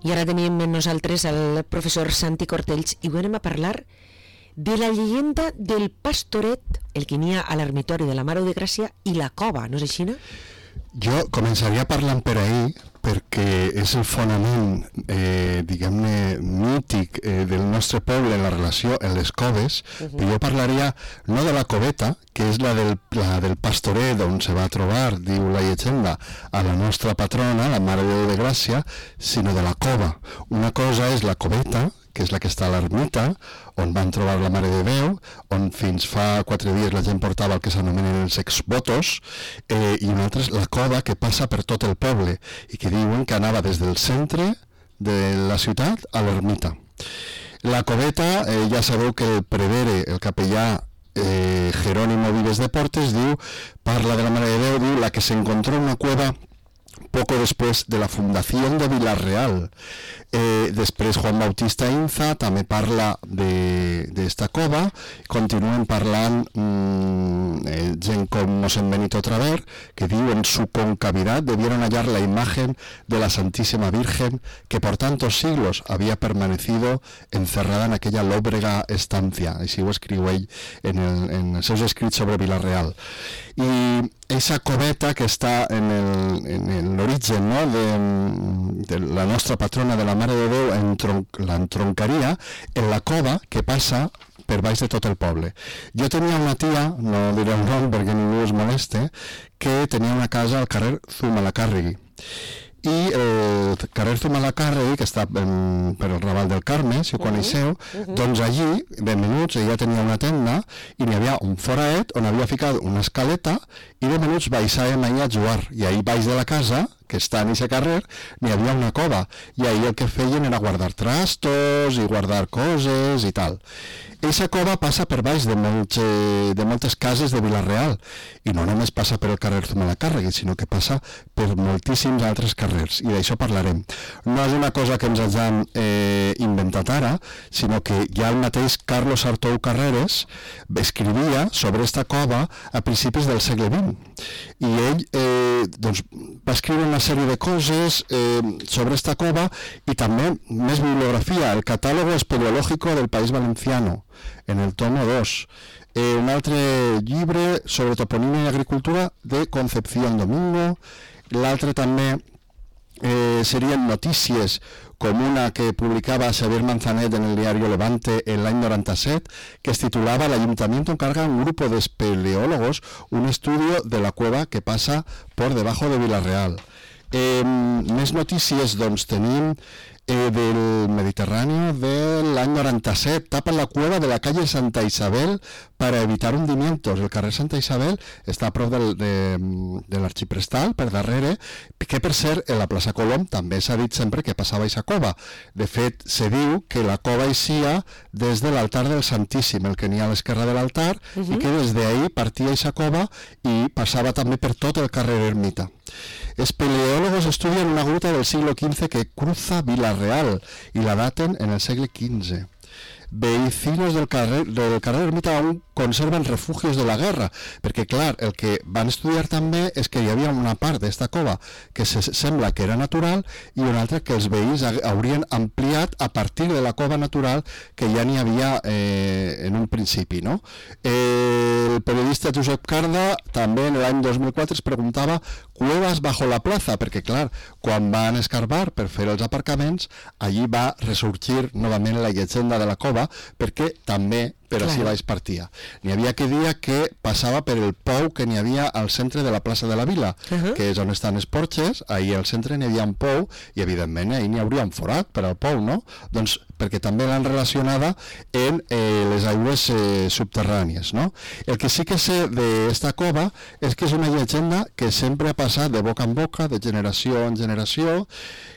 I ara tenim amb nosaltres el professor Santi Cortells i anem a parlar de la llegenda del pastoret, el que n'hi ha a l'ermitori de la Mare de Gràcia i la cova, no és així, no? Jo començaria parlant per ahir, perquè és el fonament, diguem-ne, mític del nostre poble en la relació amb les coves, però jo parlaria no de la coveta, que és la del pastoret on se va trobar, diu la llegenda, a la nostra patrona, la Mare de Déu de Gràcia, sinó de la cova. Una cosa és la coveta, que és la que està a l'ermita, on van trobar la Mare de Déu, on fins fa 4 dies la gent portava el que s'anomenen els exvotos, i una altra és la cova que passa per tot el poble, i que diuen que anava des del centre de la ciutat a l'ermita. La coveta, ja sabeu que el prevere, el capellà Jerónimo Vives de Portes, parla de la Mare de Déu, diu la que se encontró en una cueva poco después de la fundación de Vila-real. Després Juan Bautista Inza també parla d'esta cova, continuen parlant gent com Mosén Benito Traver, que diu en su concavidad debieron hallar la imagen de la Santísima Virgen que por tantos siglos había permanecido encerrada en aquella lóbrega estancia. Així ho escriu ell en els seus escrits sobre Vila-real. I aquesta coveta que està en l'origen, no, de la nostra patrona de la Mare de Déu, l'entroncaria en la cova que passa per baix de tot el poble. Jo tenia una tia, no diré el nom perquè ningú es moleste, que tenia una casa al carrer Zumalacárregui. I el carrer Zumalacárregui, que està per el Raval del Carme, si ho coneixeu, doncs allí, benvenuts, ella tenia una tenda i n'hi havia un foraet on havia ficat una escaleta i benvenuts baixàvem allà a jugar. I ahir baix de la casa, que està en aquest carrer, n'hi havia una cova i ahir el que feien era guardar trastos i guardar coses i tal. Eixa cova passa per baix de moltes cases de Vila-real i no només passa per el carrer Zumalacárregui, sinó que passa per moltíssims altres carrers i d'això parlarem. No és una cosa que ens hagin inventat ara, sinó que ja el mateix Carlos Artou Carreras escrivia sobre esta cova a principis del segle XX i ell va escriure una sèrie de coses sobre esta cova i també més bibliografia, el Catálogo Espeleológico del País Valenciano, en el tomo 2. Un altre llibre sobre toponímia i agricultura de Concepción Domingo. L'altre també serien notícies com una que publicaba Xavier Manzanet en el diario Levante en l'any 97, que es titulaba El Ayuntamiento encarga a un grupo de espeleólogos un estudio de la cueva que pasa por debajo de Vila-real. Més notícies doncs tenim del Mediterráneo del año 97. Tapan la cueva de la calle Santa Isabel para evitar hundimientos. El carrer Santa Isabel està a prop de l'Arxiprestal, per darrere, que per cert, en la plaça Colom també s'ha dit sempre que passava aquesta cova. De fet, se diu que la cova eixia des de l'altar del Santíssim, el que n'hi ha a l'esquerra de l'altar, i que des d'ahí partia aquesta cova i passava també per tot el carrer Ermita. Espeleólogos estudian una gruta del siglo XV que cruza Vila-real y la daten en el siglo XV. Vecinos del carrer Ermita aún conserven refugios de la guerra, perquè clar, el que van estudiar també és que hi havia una part d'esta cova que sembla que era natural i una altra que els veïns haurien ampliat a partir de la cova natural que ja n'hi havia en un principi, no? El periodista Josep Carda també en l'any 2004 es preguntava cuevas bajo la plaza, perquè clar, quan van escarbar per fer els aparcaments, allí va ressorgir novament la llegenda de la cova, perquè també per així baix partia. N'hi havia que dir que passava per el pou que n'hi havia al centre de la plaça de la Vila, que és on estan els porxes, ahir al centre n'hi havia un pou, i evidentment ahir n'hi hauria un forat per al pou, no? Doncs perquè també l'han relacionada en les aigües subterrànies, no? El que sí que sé d'esta cova és que és una llegenda que sempre ha passat de boca en boca, de generació en generació,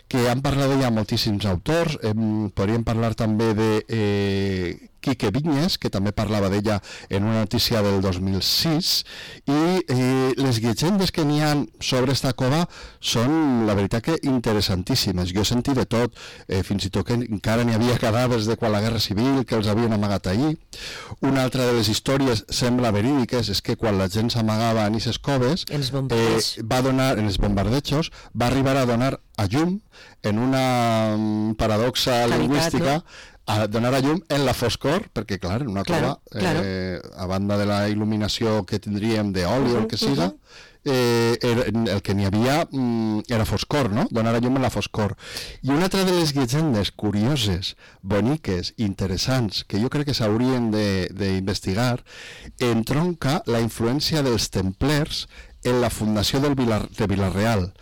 que han parlat d'ella moltíssims autors. Podríem parlar també de Quique Viñes, que també parlava d'ella en una notícia del 2006, i les llegendes que n'hi ha sobre esta cova són, la veritat, que interessantíssimes. Jo he sentit de tot, fins i tot que encara n'hi havia cadàvers de quan la Guerra Civil, que els havien amagat allí. Una altra de les històries sembla verídiques és que quan la gent s'amagava en aquestes coves, en els bombardejos, va arribar a donar a llum en una paradoxa lingüística, a donar a llum en la foscor, perquè clar, en una cova, a banda de la il·luminació que tindríem d'oli o el que siga, el que n'hi havia era foscor, no? Donar a llum en la foscor. I una altra de les llegendes curioses, boniques, interessants, que jo crec que s'haurien d'investigar, entronca la influència dels templers en la fundació de Vila-real,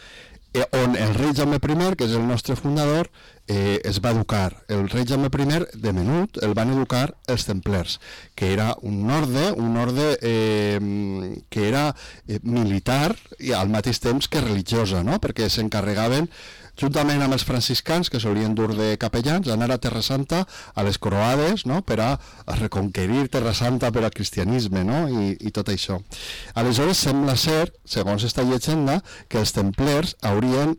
on el rei Jaume I, que és el nostre fundador, es va educar. El rei Jaume I, de menut, el van educar els templers, que era un orde que era militar i al mateix temps que religiosa, no? Perquè s'encarregaven, juntament amb els franciscans, que solien dur de capellans, anar a Terra Santa, a les croades, no? Per a reconquerir Terra Santa per al cristianisme, no? I tot això. Aleshores, sembla ser, segons esta llegenda, que els templers haurien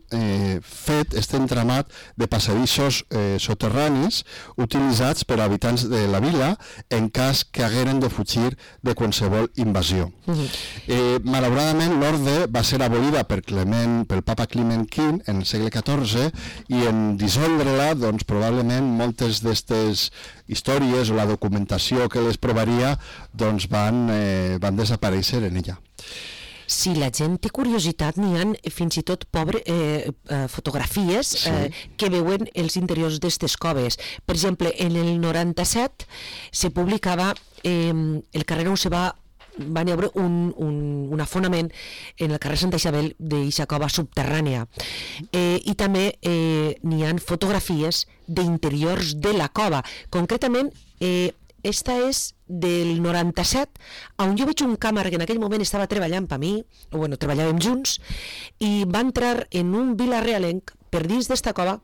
fet este entramat de passadissos soterranis utilitzats per habitants de la vila en cas que hagueren de fugir de qualsevol invasió. Malauradament, l'orde va ser abolida pel papa Climent V en el segle XIV i en dissoldre-la, doncs probablement moltes d'aquestes històries o la documentació que les provaria doncs van desaparèixer en ella. Si la gent té curiositat, n'hi ha fins i tot fotografies que veuen els interiors d'aquestes coves. Per exemple, en el 97 se publicava el carrer on se va haver un afonament en el carrer Santa Isabel d'eixa cova subterrània. I també n'hi ha fotografies d'interiors de la cova. Concretament, esta és del 97, on jo veig un càmera que en aquell moment estava treballant per mi, o bueno, treballàvem junts, i va entrar en un vilarealenc per dins d'esta cova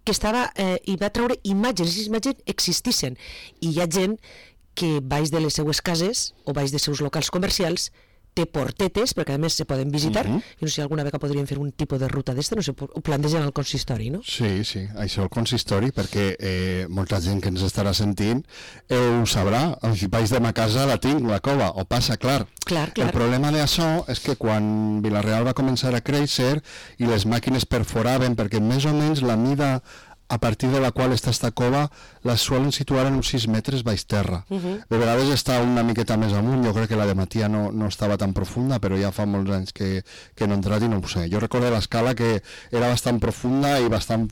que estava, i va treure imatges, i les imatges existissin. I hi ha gent que baix de les seues cases o baix dels seus locals comercials té portetes, perquè a més se poden visitar. Jo no sé si alguna vegada podríem fer un tipus de ruta d'esta, no sé, ho plantegen al consistori, no? Sí, això al consistori, perquè molta gent que ens estarà sentint ho sabrà. Baix de ma casa la tinc, la cova, o passa, clar. El problema d'això és que quan Vila-real va començar a créixer i les màquines perforaven, perquè més o menys la mida a partir de la qual està esta cova la solen situar en uns 6 metres baix terra. De vegades està una miqueta més amunt, jo crec que la de Matia no estava tan profunda, però ja fa molts anys que no he entrat i no ho sé. Jo recordo l'escala que era bastant profunda i bastant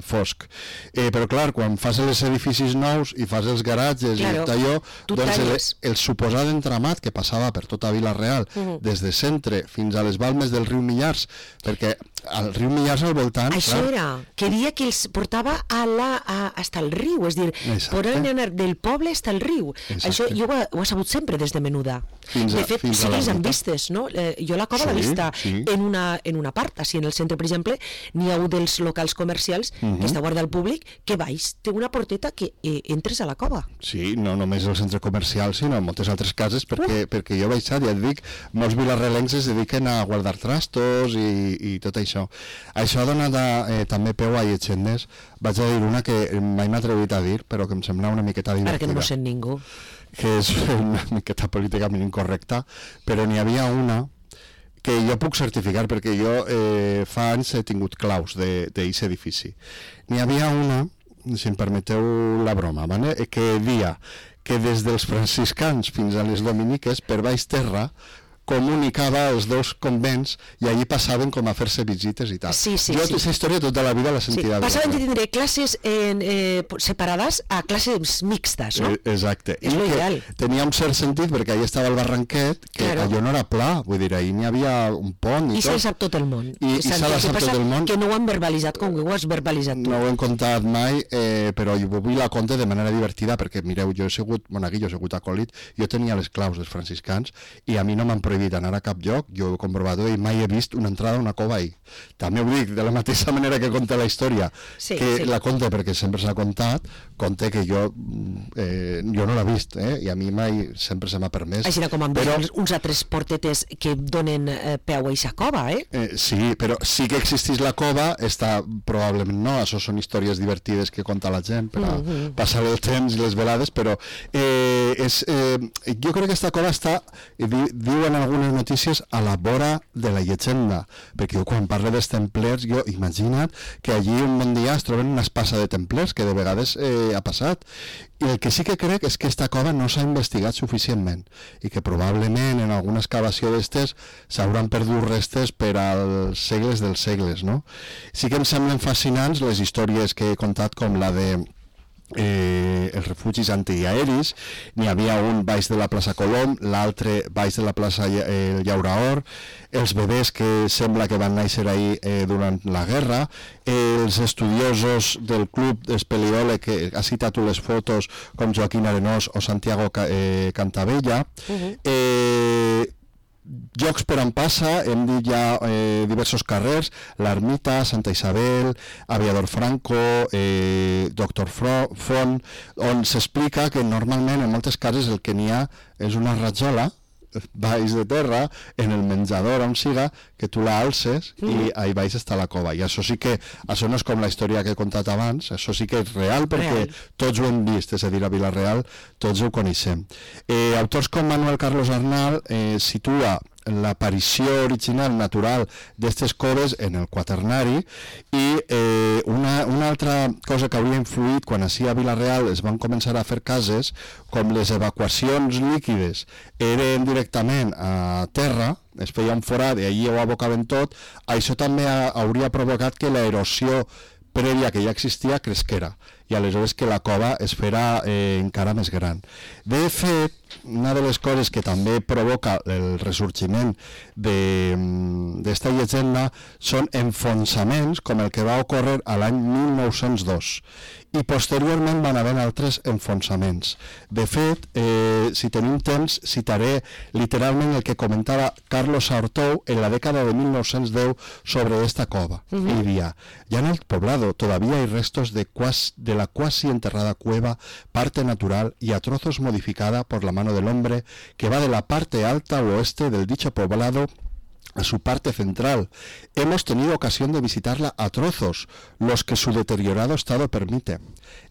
fosc. Però clar, quan fas els edificis nous i fas els garatges i tot allò, doncs el suposat entramat que passava per tota Vila-real, des de centre fins a les balmes del riu Millars, perquè al riu Millars al voltant... Això era, queria que els portava hasta el riu, és dir, poden anar del poble hasta el riu. Això jo ho he sabut sempre des de menuda. De fet, sí que les han vistes, no? Jo la cova l'he vista en una part, així en el centre, per exemple, n'hi ha un dels locals comercials que està guardat al públic, que baix té una porteta que entres a la cova. Sí, no només el centre comercial, sinó en moltes altres cases, perquè jo he baixat, ja et dic, molts vilarrelencs es dediquen a guardar trastos i tot això. Això ha donat també peu a llegendes. Vaig a dir una que mai m'he atrevit a dir, però que em sembla una miqueta divertida. Ara que no m'ho sent ningú. Que és una miqueta políticament incorrecta, però n'hi havia una que jo puc certificar, perquè jo fa anys he tingut claus d'aquest edifici. N'hi havia una, si em permeteu la broma, que dia que des dels franciscans fins a les dominiques, per baix terra, comunicava els dos convents i allí passaven com a fer-se visites i tal. Jo aquesta història tota la vida la sentirà. Passaven de tindre classes separades a classes mixtes, no? Exacte. És l'ideal. Tenia un cert sentit perquè allà estava el barranquet, que allò no era pla, vull dir, ahir n'hi havia un pont i tot. I se sap tot el món. I se sap tot el món. Que no ho han verbalitzat com ho has verbalitzat tu. No ho hem contat mai, però jo vull la conte de manera divertida perquè, mireu, jo he sigut monaguillo, he sigut acòlit, jo tenia les claus dels franciscans i a mi no m'han prohibit anar a cap lloc, jo ho he comprovat i mai he vist una entrada a una cova ahí. També ho dic, de la mateixa manera que conta la història, la conta perquè sempre s'ha contat, conta que jo no l'he vist, i a mi mai sempre se m'ha permès. Així com han vist uns altres portetes que donen peu a aquesta cova, Sí, però sí que existís la cova, probablement no, això són històries divertides que conta la gent per a passar el temps i les velades, però jo crec que aquesta cova està, diuen algunes notícies, a la vora de la llegenda, perquè jo quan parlo dels templers, jo imagina't que allí un bon dia es troben una espasa de templers, que de vegades ha passat, i el que sí que crec és que aquesta cova no s'ha investigat suficientment i que probablement en alguna excavació d'estes s'hauran perdut restes per als segles dels segles, no? Sí que em semblen fascinants les històries que he contat, com la de els refugis antiaeris. N'hi havia un baix de la plaça Colom, l'altre baix de la plaça Llauraor, els bebès que sembla que van néixer ahir durant la guerra, els estudiosos del club d'Espeleole, que ha citat les fotos, com Joaquín Arenós o Santiago Cantabella. Llocs per on passa, hem dit ja diversos carrers, l'Ermita, Santa Isabel, Aviador Franco, Doctor Font, on s'explica que normalment en moltes cases el que n'hi ha és una ratjola baix de terra, en el menjador on siga, que tu la alces i ahí baix està la cova. I això sí que, això no és com la història que he contat abans, això sí que és real perquè tots ho hem vist, és a dir, a Vila-real tots ho coneixem. Autors com Manuel Carlos Arnal situa l'aparició original natural d'aquestes coves en el quaternari, i una altra cosa que hauria influït quan així a Vila-real es van començar a fer cases, com les evacuacions líquides eren directament a terra, es feia un forat i allí ho abocaven tot, això també hauria provocat que l'erosió prèvia que ja existia cresquera, i aleshores que la cova es farà encara més gran. De fet, una de les coses que també provoca el ressorgiment d'esta llegenda són enfonsaments, com el que va ocórrer a l'any 1902, i posteriorment van haver altres enfonsaments. De fet, si tenim temps, citaré literalment el que comentava Carlos Saortou en la dècada de 1910 sobre esta cova. Ell diria: ya en el poblado todavía hay restos de la cuasi enterrada cueva, parte natural y a trozos modificada por la mano del hombre, que va de la parte alta al oeste del dicho poblado a su parte central. Hemos tenido ocasión de visitarla a trozos, los que su deteriorado estado permite.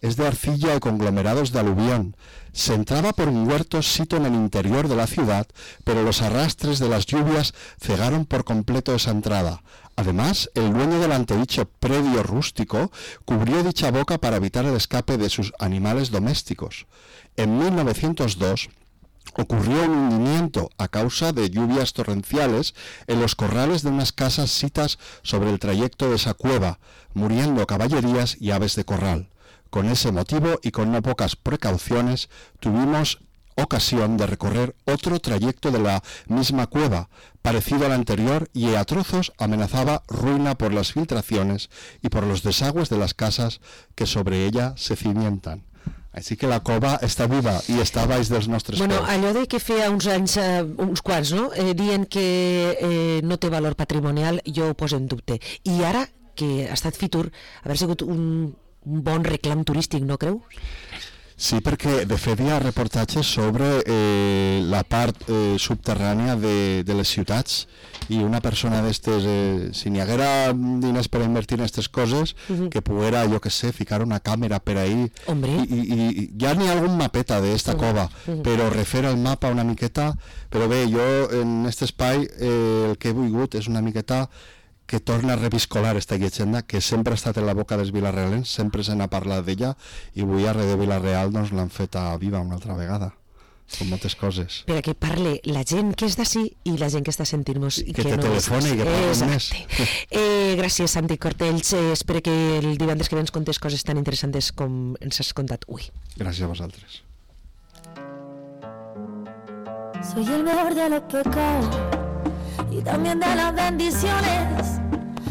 Es de arcilla y conglomerados de aluvión. Se entraba por un huerto sito en el interior de la ciudad, pero los arrastres de las lluvias cegaron por completo esa entrada. Además, el dueño del antedicho predio rústico cubrió dicha boca para evitar el escape de sus animales domésticos. En 1902 ocurrió un hundimiento a causa de lluvias torrenciales en los corrales de unas casas sitas sobre el trayecto de esa cueva, muriendo caballerías y aves de corral. Con ese motivo y con no pocas precauciones tuvimos ocasión de recorrer otro trayecto de la misma cueva, parecido al anterior, y a trozos amenazaba ruina por las filtraciones y por los desagües de las casas que sobre ella se cimientan. Així que la cova està viva i està baix dels nostres peus. Allò de que feia uns anys, uns quants, no? Dient que no té valor patrimonial, jo ho poso en dubte. I ara, que ha estat Fitur, haver sigut un bon reclam turístic, no creus? Sí, perquè de fet hi ha reportatges sobre la part subterrània de les ciutats, i una persona d'estes, si n'hi haguera diners per invertir en aquestes coses, que poguera, jo que sé, ficar una càmera per ahí. I ja n'hi ha algun mapeta d'esta cova, però refer el mapa una miqueta. Però bé, jo en aquest espai el que he volgut és una miqueta que torna a reviscolar esta llegenda que sempre ha estat en la boca dels vilarrealens, sempre se n'ha parlat d'ella, i avui a de Vila-real doncs l'han feta viva una altra vegada, com moltes coses. Per a que parle la gent que és d'ací i la gent que està sentint-nos i que te telefoni i que parli més. Gràcies, Santi Cortells. Espero que el divendres que ve ens contes coses tan interessants com ens has contat avui. Gràcies a vosaltres. Soy el mejor de los pecados y también de las bendiciones,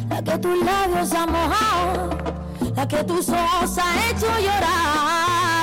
la que tus labios han mojado, la que tus ojos han hecho llorar.